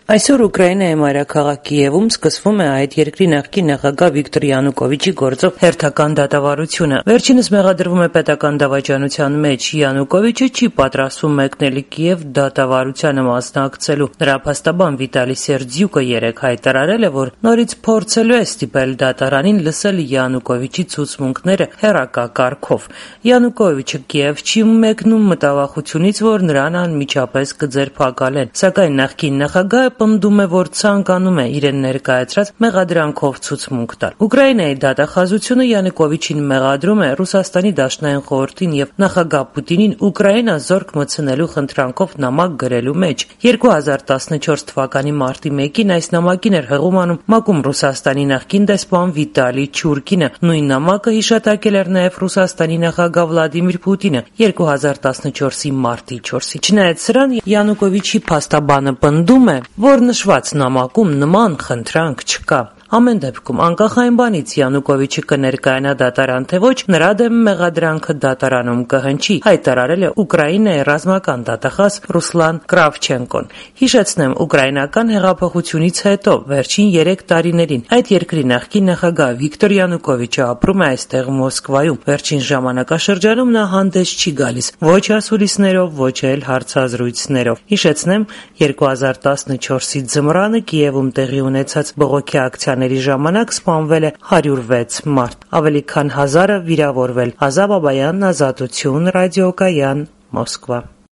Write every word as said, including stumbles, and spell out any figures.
Այսօր Ուկրաինայի մայրաքաղաք Կիևում սկսվում է այդ երկրի նախկին նախագահ Վիկտոր Յանուկովիչի գործով հերթական դատավարությունը։ Վերջինս մեղադրվում է պետական դավաճանության մեջ։ Յանուկովիչը չի պատրաստվում մեկնել Կիև դատավարությանը մասնակցելու։ Նրա փաստաբան Վիտալի Սերձյուկը երեկ հայտարարել է, որ նորից փորձելու է ստիպել դատարանին լսել Յանուկովիչի ցուցմունքները հեռակակարգով։ Յանուկովիչը Կիև չի մեկնում մտավախությունից, որ նրան անմիջապես կձերբակալեն, սակայն նախկին նախագահը պնդում է, որ ցանկանում է իրեն ներկայացրած մեղադրանքով ցուցմունք տալ։ Ուկրաինայի դատախազությունը Յանուկովիչին մեղադրում է Ռուսաստանի Դաշնային խորհրդին եւ նախագահ Պուտինին Ուկրաինա զորք մտցնելու խնդրանքով նամակ գրելու մեջ։ երկու հազար տասնչորս թվականի մարտի մեկին այս նամակին էր հղում անում մակում Ռուսաստանի նախկին դեսպան Վիտալի Չուրկինը։ Նույն նամակը հիշատակել էր նաեւ Ռուսաստանի նախագահ Վլադիմիր Պուտինը երկու հազար տասնչորսի մարտի չորսին։ Չնայած սրան, Յանուկովիչի փաստաբանը պնդում է, որ նշված նամակում նման խնդրանք չկա։ Ամեն դեպքում, անկախ այն բանից Յանուկովիչը կներկայանա դատարան թե ոչ, նրա դեմ մեղադրանքը դատարանում կհնչի, հայտարարել է Ուկրաինայի ռազմական դատախազ Ռուսլան Կրավչենկոն։ Հիշեցնեմ, ուկրաինական հեղափոխությունից հետո վերջին երեք տարիներին այդ երկրի նախկին նախագահ Վիկտոր Յանուկովիչը ապրում է այստեղ Մոսկվայում։ Վերջին ժամանակաշրջանում նա հանդես չի գալիս ոչ ասուլիսներով, ոչ էլ հարցազրույցներով։ Հիշեցնեմ, երկու հազար տասնչորսի ձմռանը Կիևում տեղի ունեցած բողոքի ակցիաների ժամանակ սպանվել է հարյուր վեց մարդ, ավելի քան հազարը վիրավորվել։ Ազա Բաբայան, Ազատություն, Ռադիոկայան, Մոսկվա։